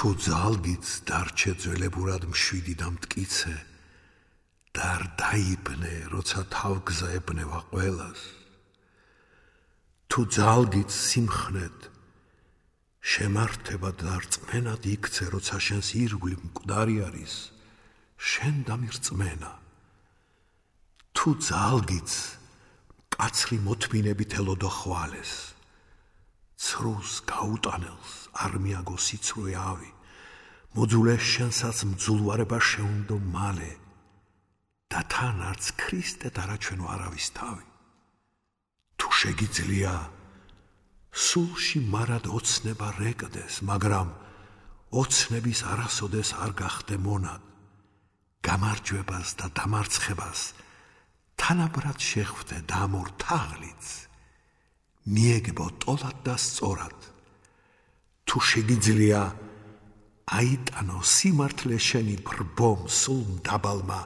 თუ ძალგიც დარჩე ძველებურად მშვიდი და მტკიცე და არ დაიბნე, როცა თავგზა ებნევა ყველას. თუ ძალგიც სიმხნედ შემართება და რწმენად იქცე, როცა შენს ირგვლივ მკვდარი არის, შენ დამირწმენა. თუ ძალგიც მკაცრი მოთმინებით ელოდო ხვალეს, ცრუს გაუტანელს არ მიაგო სიცრუე ავი, მოძულეს შენსაც მძულვარება შეუნდო მალე და თან არც ქრისტედ არაჩვენო არავის თავი. თუ შეგიძლია სულში მარად ოცნება რეკდეს, მაგრამ ოცნების არასოდეს არ გახდე მონად, გამარჯვებას და დამარცხებას თანაბრად შეხვდე და ამორ თაღლიც მიეგებო ტოლად და სწორად. თუ შეგიძლია აიტანო სიმართლე შენი ბრბომ სულ მდაბალმა,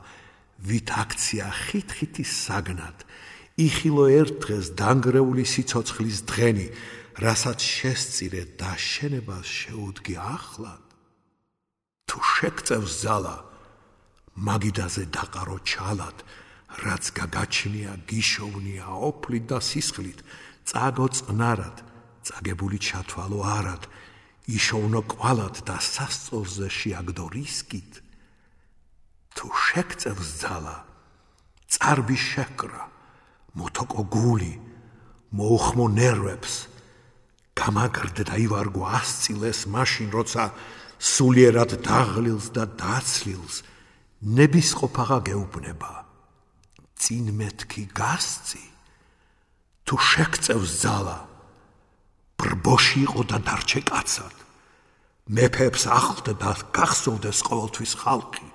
ვით აქცია ხით-ხითი საგნად, იხილო ერთ დღეს დანგრეული სიცოცხლის დღენი, რასაც შესწირე და შენებას შეუდგე ახლად. თუ შეგწევს ძალა, მაგიდაზე დაყარო ჩალად, რაც გაგაჩნია გიშოვნია ოფლით და სისხლით, წაგო წყნარად, წაგებული ჩათვალო არად, იშოვნო კვალად და სასწორზე შეაგდო რისკით. თუ შეგწევს ძალა, წარბი შეკრა, მotoko გული, მოუხმო ნერვებს, გამაგრდე და ივარგო ასწილეს მაშინ, როცა სულიერად დაღლილს და დაცლილს ნებისყოფაღა გეუბნება. წინ მეთქი გასწი, თუ შეგწევს ძალა, ბრბოში იყო და დარჩე კაცად. მეფეებს ახლდე და გახსოვდეს ყოველთვის ხალხი.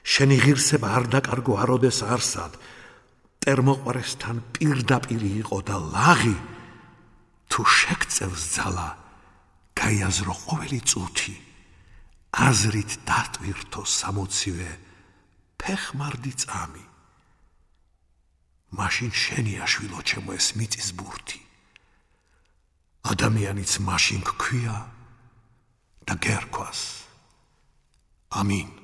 შენი ღირსება არ დაკარგო აროდეს არსად, მტერმოყვარესთან პირდაპირ იყო და ლაღი. თუ შეგწევს ძალა, გაიაზრო ყოველი წუთი, აზრით დატვირთო 60-ვე ფეხმარდი წამი. მაშინ შენია შვილო ჩემო ეს მიწის ბურთი. ადამიანიც მაშინ გქვია და გერქვას. ამინ.